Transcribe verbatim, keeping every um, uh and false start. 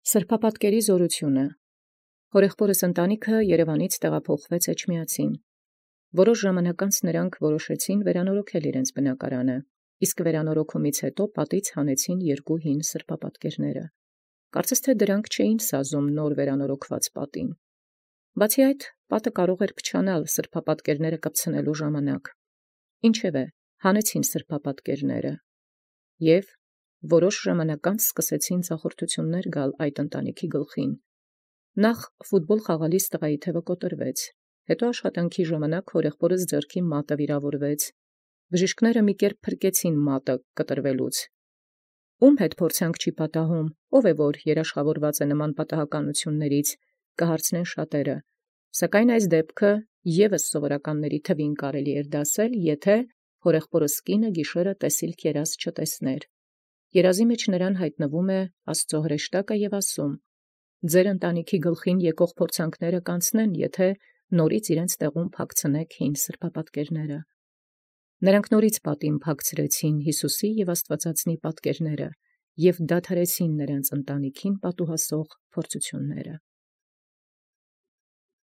Սրբապատկերի զորութիւնը։ Հորեղբորս ընտանիքը Երևանից տեղափոխվեց Էջմիածին։ Որոշ ժամանակ անց նոցա որոշեցին վերանորոգել իրենց բնակարանը, իսկ վերանորոգումից յետոյ պատից հանեցին երկու հին սրբապատկերները։ Կարծես թէ դրանք չէին սազում նոր վերանորոգված պատին։ Բացի այդ, պատը կարող էր փչանալ սրբապատկերները կպցնելու ժամանակ։ Ինչևէ, հանեցին սրբապատկերները և որոշ ժամանակ անց սկսեցին ծախորդութիւնս գալ այդ ընտանիքի գլխին։ Նախ ֆուտբոլ խաղալիս տղայի թևը կոտրվեց, հետո աշխատանքի ժամանակ հորեղբորս ձեռքի մատը վիրավորվեց։ Բժիշկները մի կերպ փրկեցին մատը կտրվելուց։ Ո՞ւմ հետ փորձանք չի պատահում, ով է որ երաշխավորված է նման պատահականութիւններից, կհարցնեն շատերը, սակայն այս դեպքը ևս սովորականների թվին կարելի էր դասել, եթէ հորեղբորս կինը գիշերը տեսիլք երազ չտեսներ։ Երազի մեջ նրան յայտնվում է Աստուծոյ հրեշտակը և ասում. «Ձեր ընտանիքի գլխին եկող փորձանքները կանցնեն, եթէ նորից իրենց տեղում փակցնիք հին սրբապատկերները»։ Նրանք նորից պատին փակցրեցին Յիսուսի և Աստուծածնի պատկերները և դադարեցին նոցա ընտանիքին պատուհասող փորձութիւնները։